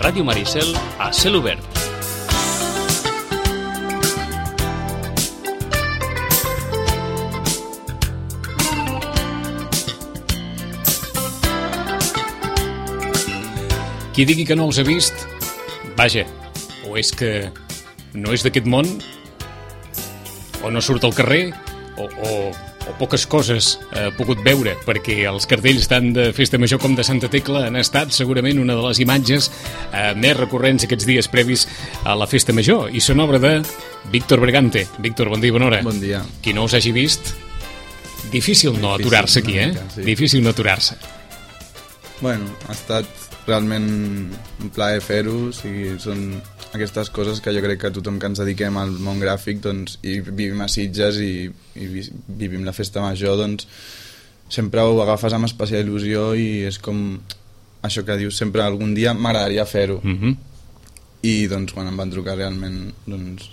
Ràdio Maricel a cel obert. Qui digui que no els ha vist, vaja, o és que no és d'aquest món, o no surt al carrer, o poques coses ha pogut veure, perquè els cartells tant de Festa Major com de Santa Tecla han estat segurament una de les imatges més recurrents aquests dies previs a la Festa Major, i són obra de Víctor Bregante. Víctor, bon dia i bona hora. Bon dia. Qui no us hagi vist, difícil no aturar-se aquí, Sí. Difícil no aturar-se. Bueno, ha estat realment un plaer fer-ho, o sigui, són aquestes coses que jo crec que tothom que ens dediquem al món gràfic, doncs, i vivim a Sitges i vivim la Festa Major, doncs sempre ho agafes amb especial il·lusió i és com això que dius sempre, algun dia m'agradaria fer-ho. I doncs quan em van trucar realment doncs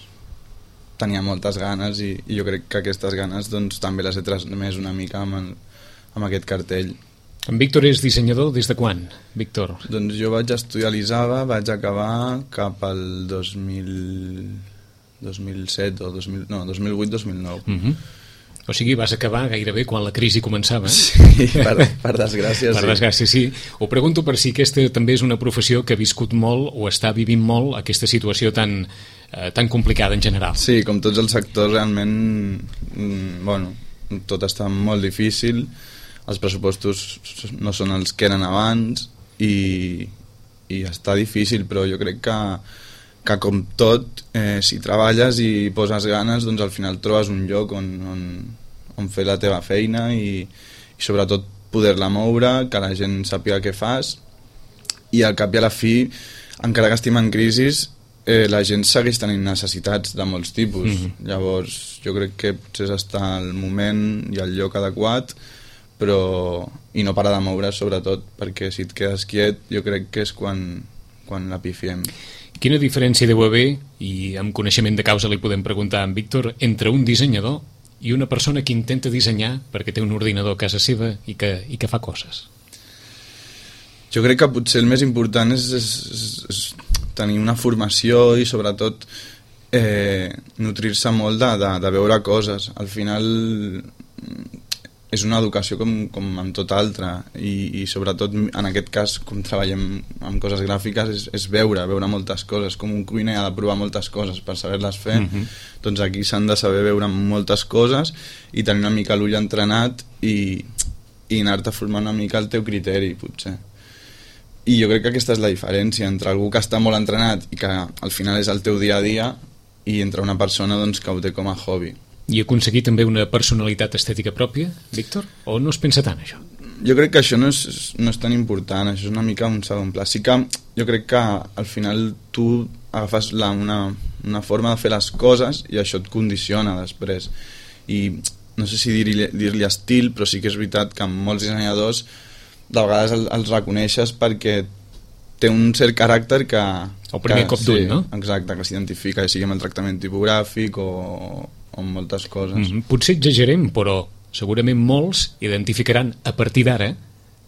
tenia moltes ganes i jo crec que aquestes ganes doncs també les he transmès una mica amb aquest cartell. En Víctor és dissenyador des de quan, Víctor? Doncs jo vaig estudiar a l'ISABA, vaig acabar cap al 2007 o 2008-2009. O sigui, vas acabar gairebé quan la crisi començava. Sí, per desgràcia, sí. Per desgràcia, sí. Ho pregunto per si aquesta també és una professió que ha viscut molt o està vivint molt aquesta situació tan complicada en general. Sí, com tots els sectors, realment, bueno, tot està molt difícil. Els pressupostos no són els que eren abans i està difícil, però jo crec que com tot, si treballes i poses ganes, doncs al final trobes un lloc on fer la teva feina i sobretot poder-la moure, que la gent sàpiga què fas, i al cap i a la fi, encara que estem en crisi, la gent segueix tenint necessitats de molts tipus. Llavors jo crec que potser és estar al moment i al lloc adequat, i no parar de moure, sobretot, perquè si et quedes quiet jo crec que és quan la pifiem. Quina diferència deu haver, i amb coneixement de causa li podem preguntar a en Víctor, entre un dissenyador i una persona que intenta dissenyar perquè té un ordinador a casa seva i que fa coses? Jo crec que potser el més important és tenir una formació i sobretot nutrir-se molt de veure coses. Al final és una educació com amb tot altre i sobretot en aquest cas com treballem amb coses gràfiques és veure moltes coses, com un cuiner ha de provar moltes coses per saber-les fer. Doncs aquí s'han de saber veure moltes coses i tenir una mica l'ull entrenat i anar-te formant una mica el teu criteri, potser. I jo crec que aquesta és la diferència entre algú que està molt entrenat i que al final és el teu dia a dia i entre una persona doncs, que ho té com a hobby. I aconseguir també una personalitat estètica pròpia, Víctor? O no es pensa tant, això? Jo crec que això no és tan important, això és una mica un segon pla. Sí que jo crec que al final tu agafes una forma de fer les coses i això et condiciona després. I no sé si dir-li estil, però sí que és veritat que molts dissenyadors de vegades els reconeixes perquè té un cert caràcter que... El primer cop d'ull, no? Exacte, que s'identifica, sigui amb el tractament tipogràfic o moltes coses. Potser exagerem, però segurament molts identificaran a partir d'ara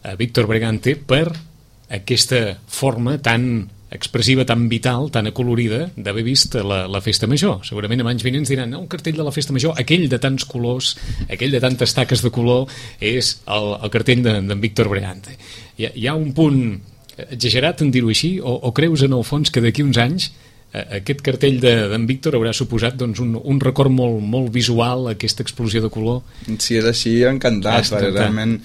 a Víctor Bregante per aquesta forma tan expressiva, tan vital, tan acolorida d'haver vist la Festa Major. Segurament a anys vinents diran un cartell de la Festa Major, aquell de tants colors, aquell de tantes taques de color, és el cartell d'en Víctor Bregante. Hi ha un punt exagerat en dir-ho així, o creus en el fons que d'aquí uns anys aquest cartell d'en Víctor haurà suposat doncs, un record molt visual, aquesta explosió de color? Si és així, encantat, perquè realment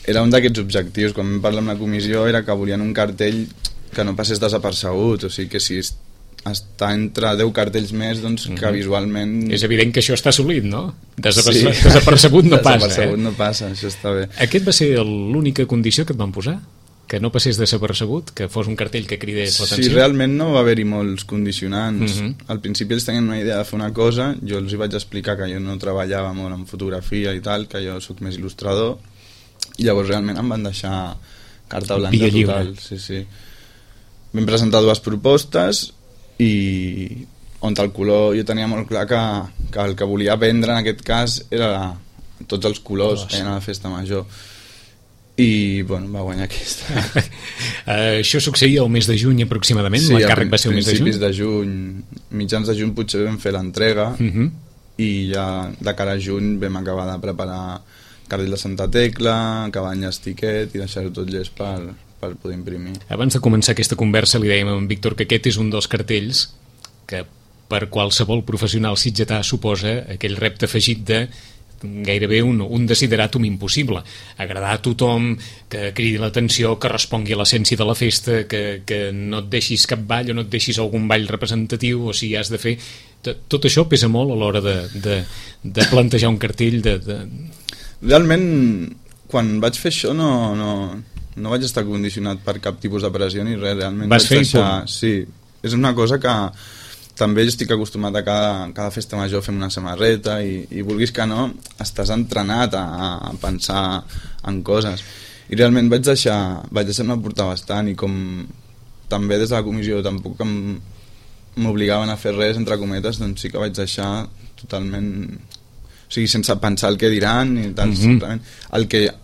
era un d'aquests objectius. Quan vam parlar amb la comissió era que volien un cartell que no passés desapercebut, o sigui que si està entre 10 cartells més, doncs que visualment... És evident que això està assolit, no? Desapercebut no passa. Desapercebut no passa, això està bé. Aquest va ser l'única condició que et van posar? Que no passés desapercebut, que fos un cartell que cridés l'atenció? Sí, realment no va haver-hi molts condicionants. Al principi ells tenien una idea de fer una cosa, jo els hi vaig explicar que jo no treballava molt en fotografia i tal, que jo sóc més il·lustrador, i llavors realment em van deixar carta blanca total. Sí. Vam presentar 2 propostes i on el color jo tenia molt clar que el que volia vendre en aquest cas era tots els colors que hi ha a la Festa Major. I jo i bueno, va guanyar aquesta. Això succeïa el mes de juny aproximadament, sí, l'encàrrec va ser el mes de juny? Principis de juny, mitjans de juny potser vam fer l'entrega, i ja de cara a juny vam acabar de preparar cartell de Santa Tecla, cabanyes, tiquet i deixar-ho tot llest per poder imprimir. Abans de començar aquesta conversa li dèiem a en Víctor que aquest és un dels cartells que per qualsevol professional sitgetà suposa aquell repte afegit de gairebé un desideratum impossible, agradar a tothom, que cridi l'atenció, que respongui a l'essència de la festa, que no et deixis cap ball o no et deixis algun ball representatiu, o si has de fer... Tot això pesa molt a l'hora de plantejar un cartell Realment, quan vaig fer això no vaig estar condicionat per cap tipus de pressió ni res, realment vas fer sí, és una cosa que també estic acostumat a cada festa major fem una samarreta i vulguis que no, estàs entrenat a pensar en coses. I realment vaig deixar-me portar bastant, i com també des de la comissió tampoc m'obligaven a fer res, entre cometes, doncs sí que vaig deixar totalment... O sigui, sense pensar el que diran i tal, simplement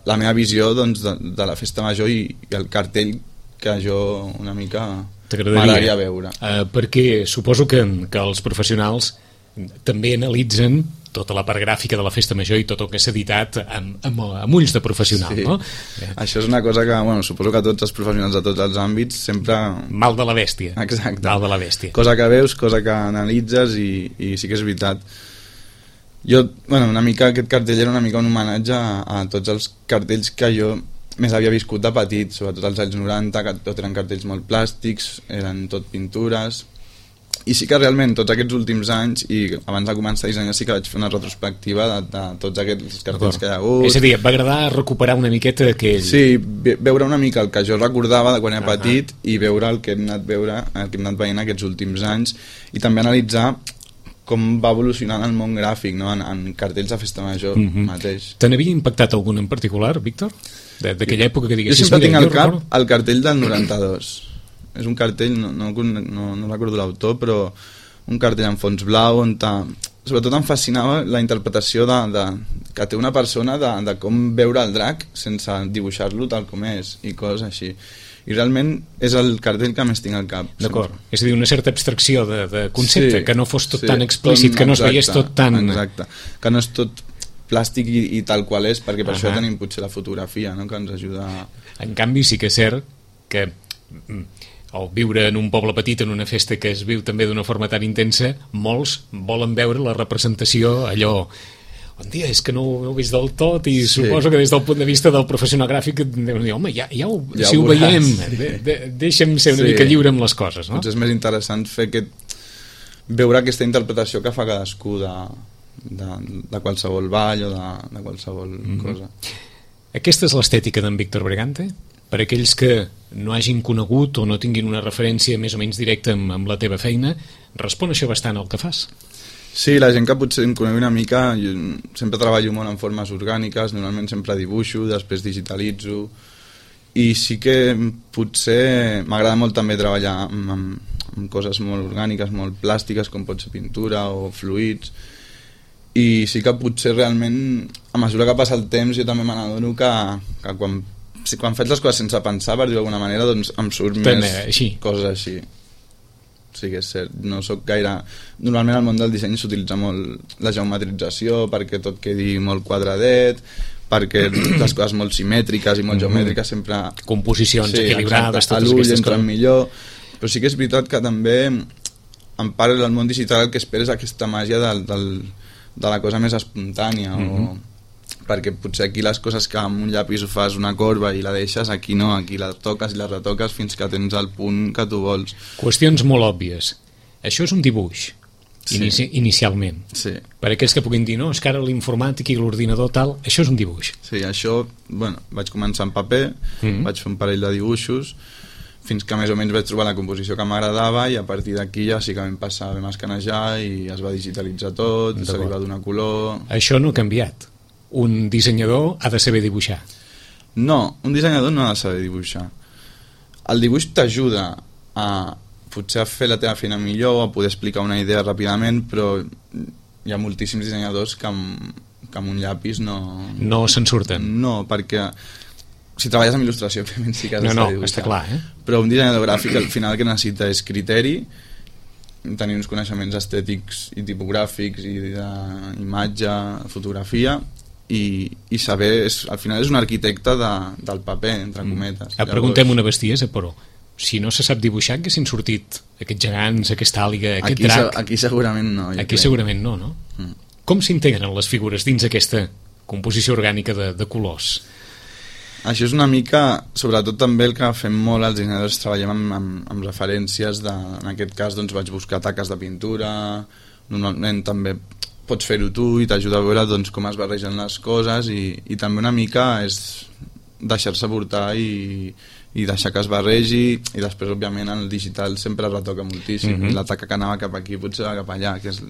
la meva visió doncs, de la festa major i el cartell que jo una mica... m'agradaria veure. Perquè suposo que els professionals també analitzen tota la part gràfica de la festa major i tot el que s'ha editat amb ulls de professional, sí. No? Això és una cosa que, bueno, suposo que tots els professionals de tots els àmbits sempre... Mal de la bèstia. Exacte. Mal de la bèstia. Cosa que veus, cosa que analitzes i sí que és veritat. Jo, bueno, una mica aquest cartell era una mica un homenatge a tots els cartells que jo més havia viscut de petit, sobretot als anys 90, que tot eren cartells molt plàstics, eren tot pintures, i sí que realment tots aquests últims anys, i abans de començar a dissenyar sí que vaig fer una retrospectiva de tots aquests cartells que hi ha hagut. És a dir, et va agradar recuperar una miqueta aquell... Sí, veure una mica el que jo recordava de quan era petit i veure el que hem anat veient aquests últims anys, i també analitzar com va evolucionant el món gràfic, no? en cartells de festa major mateix. Te n'havia impactat algun en particular, Víctor? D'aquella època que diguessis... Jo sempre tinc al cap el cartell del 92. És un cartell, no recordo l'autor, però un cartell en fons blau on sobretot em fascinava la interpretació que té una persona de com veure el drac sense dibuixar-lo tal com és i coses així. I realment és el cartell que més tinc al cap. D'acord, és a dir, una certa abstracció de concepte, que no fos tot tan explícit, que no es veiés tot tan... Exacte, que no és tot plàstic i tal qual és, perquè per això tenim potser la fotografia, no?, que ens ajuda a... En canvi sí que és cert que al viure en un poble petit, en una festa que es viu també d'una forma tan intensa, molts volen veure la representació allò... Bon dia, és que no ho he vist del tot i suposo que des del punt de vista del professional gràfic deuen dir, home, si ho veiem, deixa'm ser una mica lliure amb les coses, no? Potser és més interessant fer veure aquesta interpretació que fa cadascú de qualsevol ball o de qualsevol cosa. Aquesta és l'estètica d'en Víctor Bregante? Per aquells que no hagin conegut o no tinguin una referència més o menys directa amb la teva feina, respon això bastant al que fas? Sí, la gent que potser em conegui una mica, jo sempre treballo molt en formes orgàniques, normalment sempre dibuixo, després digitalitzo, i sí que potser m'agrada molt també treballar amb coses molt orgàniques, molt plàstiques, com pot ser pintura o fluids, i sí que potser realment, a mesura que passa el temps, jo també me n'adono que quan faig les coses sense pensar, per dir-ho d'alguna manera, doncs em surt més coses així. Sí que és cert, no soc gaire... Normalment al món del disseny s'utilitza molt la geometrització perquè tot quedi molt quadradet, perquè les coses molt simètriques i molt geomètriques sempre... Composicions equilibrades, totes aquestes coses. Millor. Però sí que és veritat que també en part del món digital el que espera és aquesta màgia de la cosa més espontània perquè potser aquí les coses que amb un llapis ho fas una corba i la deixes, aquí no, aquí la toques i la retoques fins que tens el punt que tu vols. Qüestions molt òbvies. Això és un dibuix, inicialment. Sí. Per aquells que puguin dir, no, és que ara l'informàtic i l'ordinador tal, això és un dibuix. Sí, això, bueno, vaig començar en paper, vaig fer un parell de dibuixos, fins que més o menys vaig trobar la composició que m'agradava i a partir d'aquí ja sí que vam passar, vam escanejar i es va digitalitzar tot, se li va donar color... Això no ha canviat. Un dissenyador ha de saber dibuixar. No, un dissenyador no ha de saber dibuixar. El dibuix t'ajuda a potser a fer la teva feina millor, a poder explicar una idea ràpidament, però hi ha moltíssims dissenyadors que amb un llapis no... No se'n surten. No, perquè si treballes amb il·lustració, òbviament sí que has d'estar dibuixant. Està clar, Però un dissenyador gràfic al final el que necessita és criteri, tenir uns coneixements estètics i tipogràfics i d'imatge, fotografia, i saber, al final és un arquitecte del paper, entre cometes. Preguntem una bestiesa, però si no se sap dibuixar, que s'han sortit aquests gegants, aquesta àliga, aquest drac? Aquí segurament no. Aquí segurament no, no? Com s'integren les figures dins aquesta composició orgànica de colors? Això és una mica, sobretot també el que fem molt els dissenyadors, treballem amb referències, en aquest cas doncs, vaig buscar taques de pintura, normalment també pots fer-ho tu i t'ajuda a veure doncs, com es barregen les coses i també una mica és deixar-se portar i deixar que es barregi, i després òbviament el digital sempre retoca moltíssim, i la taca que anava cap aquí potser va cap allà, que és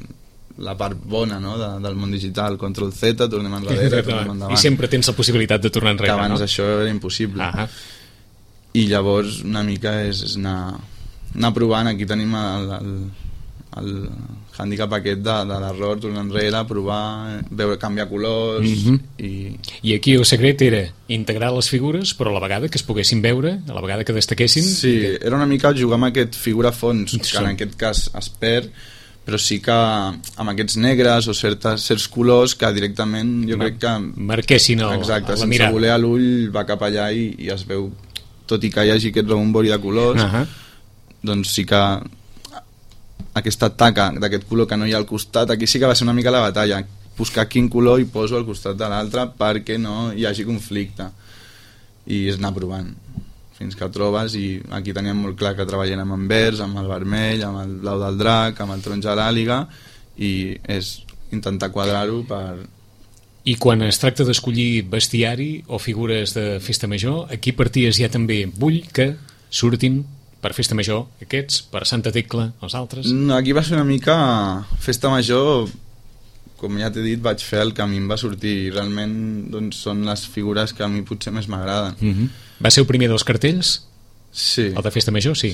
la part bona, no?, del món digital. Control Z, tornem enrere, tornem endavant. I sempre tens la possibilitat de tornar enrere, que abans no? Això era impossible. I llavors una mica és anar provant. Aquí tenim el hàndicap aquest de l'error, tornar enrere, provar, veure, canviar colors. I aquí el secret era integrar les figures, però a la vegada que es poguessin veure, a la vegada que destaquessin. Sí, era una mica jugar amb aquest figura-fons, que en aquest cas es perd, però sí que amb aquests negres o certs colors que directament jo crec que marquessin la sense mirada. voler l'ull va cap allà i es veu, tot i que hi hagi aquest rebombori de colors, doncs sí que aquesta taca d'aquest color que no hi ha al costat, aquí sí que va ser una mica la batalla, buscar quin color hi poso al costat de l'altre perquè no hi hagi conflicte, i és anar provant fins que trobes. I aquí teníem molt clar que treballem amb verd, amb el vermell, amb el blau del drac, amb el taronja de l'àliga, i és intentar quadrar-ho per... I quan es tracta d'escollir bestiari o figures de festa major, aquí parties ja també vull que surtin per festa major aquests, per Santa Tecla els altres? Aquí va ser una mica festa major, com ja t'he dit, vaig fer el que a mi em va sortir, realment doncs, són les figures que a mi potser més m'agraden. Va ser el primer dels cartells? Sí. El de festa major, sí.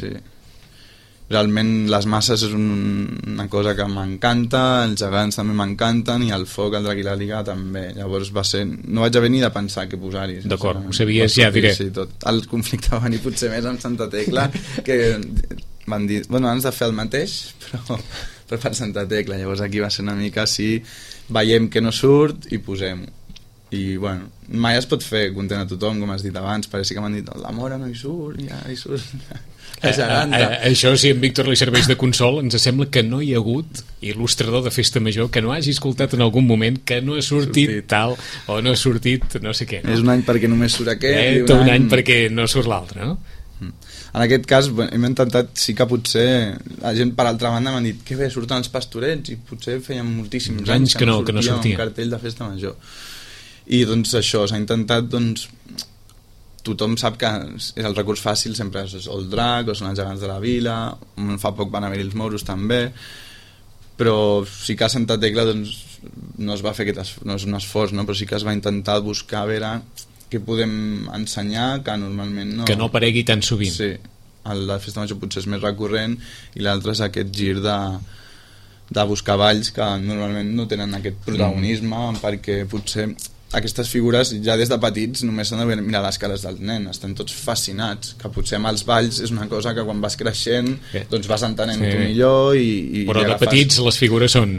Realment les masses és una cosa que m'encanta, els gegants també m'encanten, i el foc, el drac i l'àliga també. Llavors va ser... no vaig haver ni de pensar què posar-hi. D'acord, ho sabies ja, diré. Sí, tot. El conflicte va venir potser més amb Santa Tecla, que van dir, bueno, abans de fer el mateix, però per Santa Tecla. Llavors aquí va ser una mica així, veiem que no surt i posem-ho. I bueno, mai es pot fer content a tothom, com has dit abans. Pareix que m'han dit, la Mora no hi surt, ja hi surt la geganta. Això, si a en Víctor li serveix de consol, ens sembla que no hi ha hagut il·lustrador de festa major que no hagi escoltat en algun moment que no ha sortit tal o no ha sortit no sé què, no? És un any perquè només surt aquest, i un any perquè no surt l'altre, no? En aquest cas hem intentat, sí que potser la gent per altra banda m'han dit que bé, surten els pastorets, i potser feien moltíssims anys que no sortia un cartell de festa major. I doncs això, s'ha intentat, doncs tothom sap que és el recurs fàcil, sempre és el drac o són els gegants de la vila, fa poc van haver-hi els moros també, però sí que a Santa Tecla doncs, no es va fer no és un esforç, no? Però sí que es va intentar buscar a veure què podem ensenyar que normalment no... Que no aparegui tan sovint. Sí, la festa major potser és més recurrent, i l'altre és aquest gir de buscar balls que normalment no tenen aquest protagonisme, perquè potser aquestes figures ja des de petits només s'han de mirar les cares del nen, estan tots fascinats, que potser amb els balls és una cosa que quan vas creixent doncs vas entenent tu millor i però de petits les figures són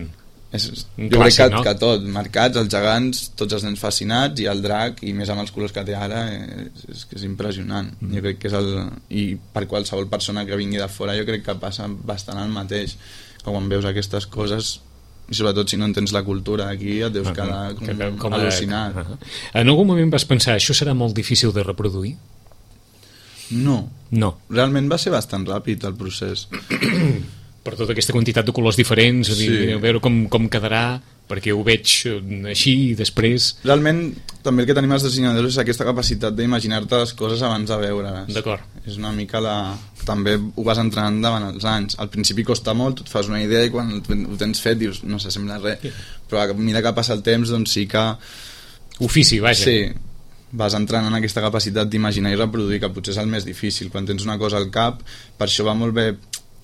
jo crec que tot, marcats, els gegants, tots els nens fascinats, i el drac, i més amb els colors que té ara, és que és impressionant. Jo crec que és i per qualsevol persona que vingui de fora jo crec que passa bastant el mateix, que quan veus aquestes coses, i sobretot si no entens la cultura aquí, et deus quedar com al·lucinat. En algun moment vas pensar, això serà molt difícil de reproduir? No. Realment va ser bastant ràpid el procés. Per tota aquesta quantitat de colors diferents, a veure com quedarà, perquè ho veig així i després... Realment, també el que tenim els dissenyadors és aquesta capacitat d'imaginar-te les coses abans de veure-les. D'acord. És una mica també ho vas entrenant davant els anys. Al principi costa molt, tu et fas una idea i quan ho tens fet dius, no s'assembla a res. Però a mesura que passa el temps, doncs sí que... Ofici, vaja. Sí, vas entrenant aquesta capacitat d'imaginar i reproduir, que potser és el més difícil. Quan tens una cosa al cap, per això va molt bé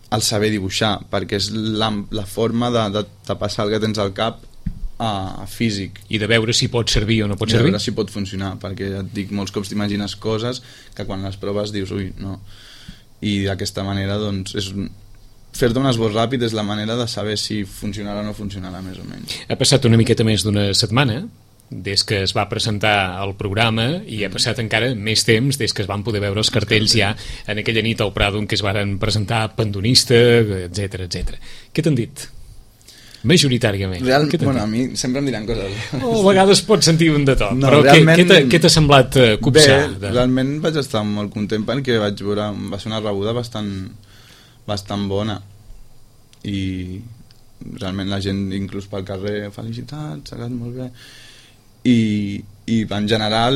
el saber dibuixar, perquè és la forma de passar el que tens al cap físic. I de veure si pot servir o no pot I de servir? veure si pot funcionar, perquè ja et dic, molts cops t'imagines coses que quan les proves dius, ui, no. I d'aquesta manera, doncs, fer-te un esbós ràpid és la manera de saber si funcionarà o no funcionarà, més o menys. Ha passat una miqueta més d'una setmana des que es va presentar el programa i ha passat encara més temps des que es van poder veure els cartells ja en aquella nit al Prado en què es varen presentar Pandonista, etc. Què t'han dit? Majoritàriament. Bueno, a mi sempre em diran coses. O a vegades pots sentir un de tot, no, però realment, què t'ha semblat copsar? Bé, realment vaig estar molt content perquè vaig veure, va ser una rebuda bastant bona i realment la gent inclús pel carrer felicitats, s'ha quedat molt bé i en general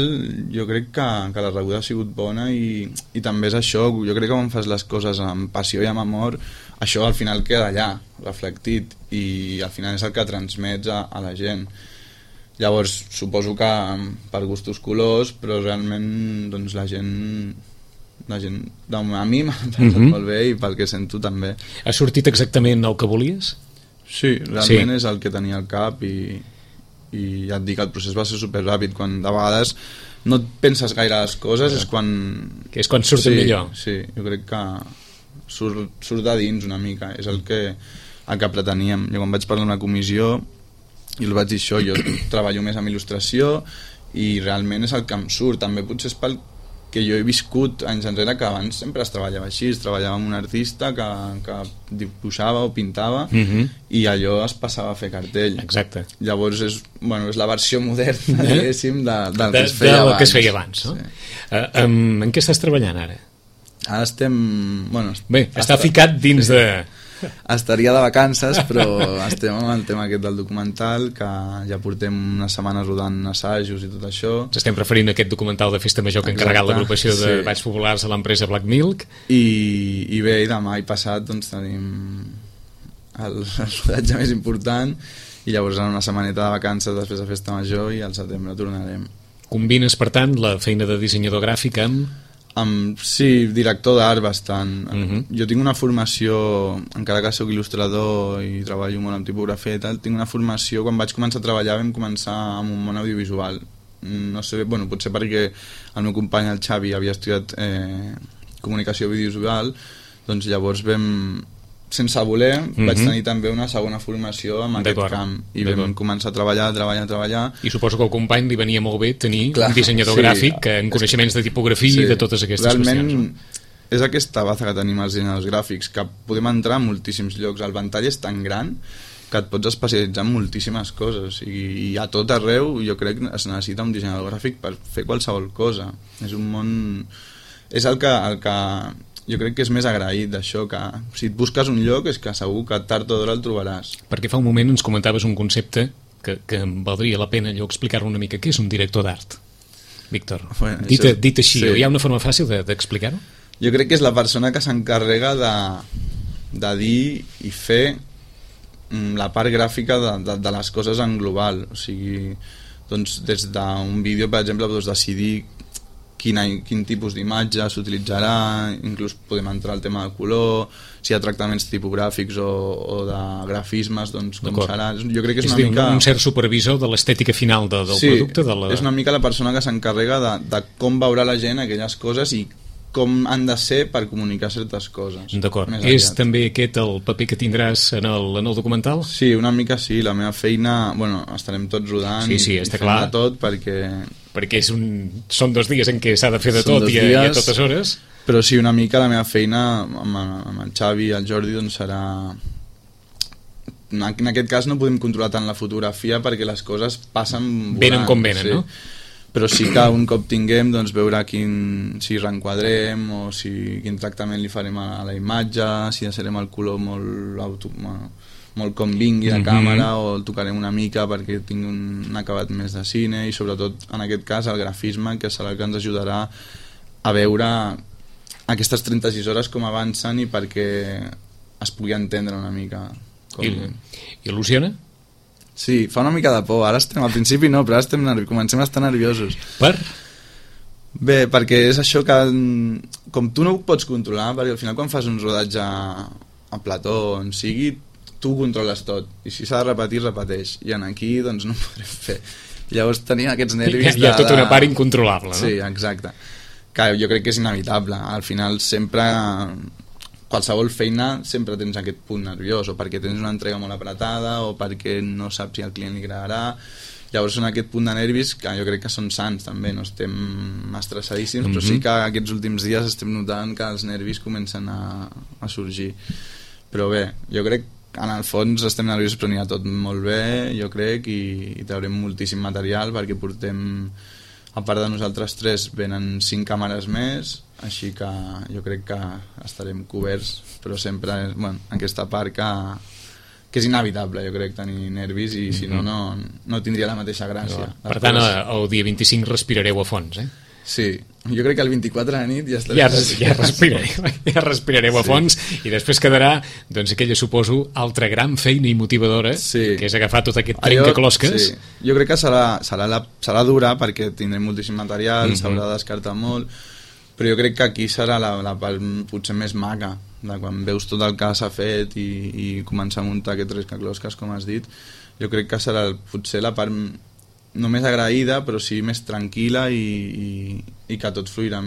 jo crec que la rebuda ha sigut bona i també és això, jo crec que quan fas les coses amb passió i amb amor això al final queda allà, reflectit i al final és el que transmets a la gent. Llavors suposo que per gustos colors, però realment doncs la gent a mi m'ha passat molt bé i pel que sento també. Ha sortit exactament el que volies? Sí, realment és el que tenia al cap i ja et dic, el procés va ser superràpid, quan de vegades no et penses gaire les coses, és quan surten millor. Sí, jo crec que surt de dins una mica, és el que preteníem. Jo quan vaig parlar amb la comissió i els vaig dir això, jo treballo més amb il·lustració i realment és el que em surt, també potser és pel que jo he viscut anys enrere, que abans sempre es treballava així, es treballava amb un artista que dibuixava o pintava i allò es passava a fer cartell. Exacte. Llavors és la versió moderna, diguéssim, del que es feia abans. Que es feia abans, no? Sí. En què estàs treballant ara? Ara estem... Bé, està ficat dins de... Estaria de vacances, però estem amb el tema aquest del documental, que ja portem unes setmanes rodant assajos i tot això. Ens estem referint a aquest documental de Festa Major que ha encarregat l'agrupació de Balls Populars a l'empresa Black Milk. I bé, demà i passat doncs, tenim el rodatge més important i llavors en una setmaneta de vacances després de Festa Major i al setembre tornarem. Combines, per tant, la feina de dissenyador gràfic amb... Sí, director d'art bastant. Jo tinc una formació, encara que soc il·lustrador i treballo molt amb tipografia i tal, tinc una formació, quan vaig començar a treballar vam començar amb un món audiovisual. No sé, potser perquè el meu company, el Xavi, havia estudiat comunicació audiovisual, doncs llavors sense voler, vaig tenir també una segona formació en aquest camp i vam començar a treballar. I suposo que al company li venia molt bé tenir un dissenyador gràfic en coneixements de tipografia i de totes aquestes qüestions. Realment és aquesta baza que tenim els dissenyadors gràfics, que podem entrar a moltíssims llocs. El ventall és tan gran que et pots especialitzar en moltíssimes coses i a tot arreu jo crec que es necessita un dissenyador gràfic per fer qualsevol cosa. És un món... És el que jo crec que és més agraït d'això, que si et busques un lloc és que segur que tard o d'hora el trobaràs. Perquè fa un moment ens comentaves un concepte que em valdria la pena allò explicar-lo una mica. Què és un director d'art, Víctor? Dit així, hi ha una forma fàcil d'explicar-ho? Jo crec que és la persona que s'encarrega de dir i fer la part gràfica de les coses en global. O sigui, doncs, des d'un vídeo, per exemple, doncs, decidir quin tipus d'imatge s'utilitzarà, inclús podem entrar al tema de color, si hi ha tractaments tipogràfics o de grafismes, doncs com serà. Jo crec que és una mica... un cert supervisor de l'estètica final del producte. És una mica la persona que s'encarrega de com veurà la gent aquelles coses i com han de ser per comunicar certes coses. D'acord. És també aquest el paper que tindràs en el documental? Sí, una mica sí. La meva feina... estarem tots rodant i està clar. de tot perquè són 2 dies en què s'ha de fer de tot i a totes hores. Però sí, una mica la meva feina amb el Xavi i el Jordi doncs serà... En aquest cas no podem controlar tant la fotografia perquè les coses passen volant. Venen com venen, no? Però sí que un cop tinguem doncs, veure si reenquadrem o quin tractament li farem a la imatge, si deixarem el color molt com vingui de càmera o el tocarem una mica perquè tingui un acabat més de cine i sobretot en aquest cas el grafisme, que serà el que ens ajudarà a veure aquestes 36 hores com avancen i perquè es pugui entendre una mica. Il·lusiona? Sí, fa una mica de por. Ara estem, al principi no, però ara comencem a estar nerviosos. Per? Bé, perquè és això que com tu no ho pots controlar, perquè al final quan fas un rodatge a plató on sigui, tu ho controles tot, i si s'ha de repetir, repeteix, i en aquí doncs no ho podrem fer. Llavors tenia aquests nervis hi ha tota una part incontrolable, no? Sí, exacte, que jo crec que és inevitable. Al final sempre, qualsevol feina sempre tens aquest punt nerviós, o perquè tens una entrega molt apretada o perquè no saps si al client li agradarà. Llavors són aquest punt de nervis que jo crec que són sants també, no estem estressadíssims, però sí que aquests últims dies estem notant que els nervis comencen a sorgir. Però bé, jo crec que en el fons estem nerviosos, però anirà tot molt bé, jo crec, i traurem moltíssim material, perquè portem, a part de nosaltres tres, venen 5 càmeres més, així que jo crec que estarem coberts, però sempre aquesta part que és inevitable, jo crec, tenir nervis, i si no, no tindria la mateixa gràcia. Per tant, el dia 25 respirareu a fons, Sí, jo crec que el 24 de nit ja estaré... Ja respirareu a fons, i després quedarà, doncs, aquella, suposo, altra gran feina i motivadora, que és agafar tot aquest trencaclosques. Sí. Jo crec que serà dura, perquè tindrem moltíssim material, s'haurà de descartar molt, però jo crec que aquí serà la part potser més maca, de quan veus tot el que s'ha fet i començar a muntar aquest trencaclosques, com has dit. Jo crec que serà potser la part no més agraïda, però sí més tranquil·la, i que tot fluirà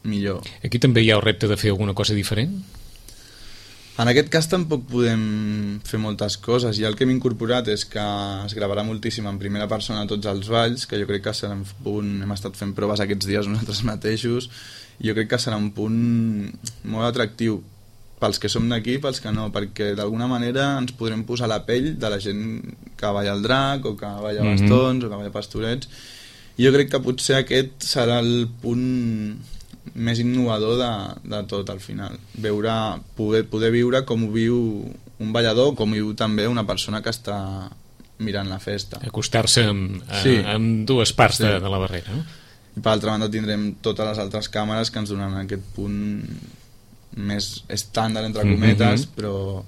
millor. Aquí també hi ha el repte de fer alguna cosa diferent? En aquest cas tampoc podem fer moltes coses, i el que hem incorporat és que es gravarà moltíssim en primera persona tots els balls, que jo crec que serà un punt, hem estat fent proves aquests dies nosaltres mateixos, i jo crec que serà un punt molt atractiu pels que som d'aquí, pels que no, perquè d'alguna manera ens podrem posar a la pell de la gent que balla al drac, o que balla bastons, o que balla pastorets, i jo crec que potser aquest serà el punt més innovador de tot al final, poder viure com ho viu un ballador, com ho viu també una persona que està mirant la festa. Acostar-se amb dues parts de la barrera, no? I per altra banda tindrem totes les altres càmeres que ens donaran aquest punt més estàndard, entre cometes, però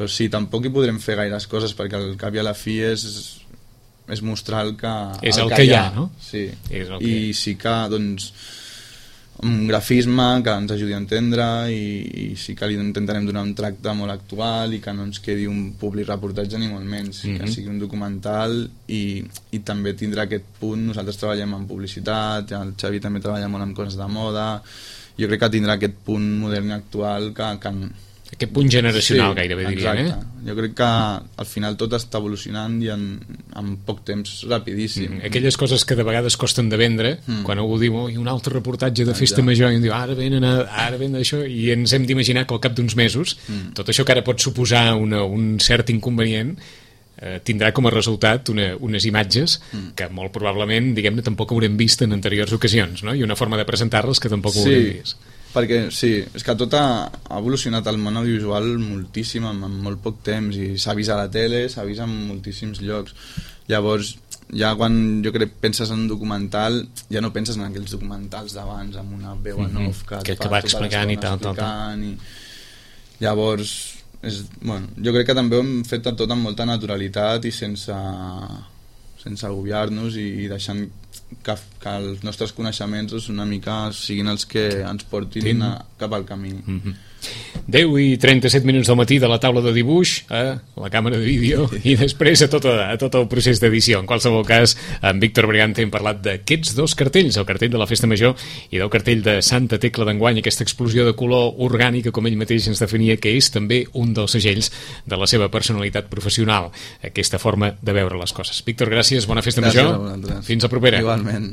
sí, tampoc hi podrem fer gaires coses, perquè al cap i a la fi és mostrar el que és el que hi ha, no? Sí, i sí que doncs un grafisme que ens ajudi a entendre, i sí que li intentarem donar un tracte molt actual, i que no ens quedi un public reportatge ni molt menys, que sigui un documental, i també tindrà aquest punt. Nosaltres treballem en publicitat, el Xavi també treballa molt en coses de moda, jo crec que tindrà aquest punt modern i actual aquest punt generacional, gairebé diríem, exacte. Jo crec que al final tot està evolucionant, i en poc temps rapidíssim. Aquelles coses que de vegades costen de vendre, quan algú diu un altre reportatge de festa major, i diu ara ven això, i ens hem d'imaginar que al cap d'uns mesos tot això que ara pot suposar un cert inconvenient tindrà com a resultat unes imatges que molt probablement, diguem-ne, tampoc haurem vist en anteriors ocasions, no? I una forma de presentar-les que tampoc haurem vist. Perquè sí, és que tot ha evolucionat el món audiovisual moltíssim en molt poc temps, i s'ha vist a la tele, s'ha vist en moltíssims llocs. Llavors, ja quan jo crec penses en un documental, ja no penses en aquells documentals d'abans amb una veu en off que va explicant i tal. Llavors, jo crec que també ho hem fet tot amb molta naturalitat i sense agobiar-nos, i deixant que els nostres coneixements una mica siguin els que ens portin cap al camí. 10 i 37 minuts del matí de la taula de dibuix a la càmera de vídeo, i després a tot el procés d'edició. En qualsevol cas, amb Víctor Bregante hem parlat d'aquests dos cartells, el cartell de la Festa Major i del cartell de Santa Tecla d'enguany, aquesta explosió de color orgànica, com ell mateix ens definia, que és també un dels segells de la seva personalitat professional, aquesta forma de veure les coses. Víctor, gràcies, bona Festa Major. Fins a propera. Igualment.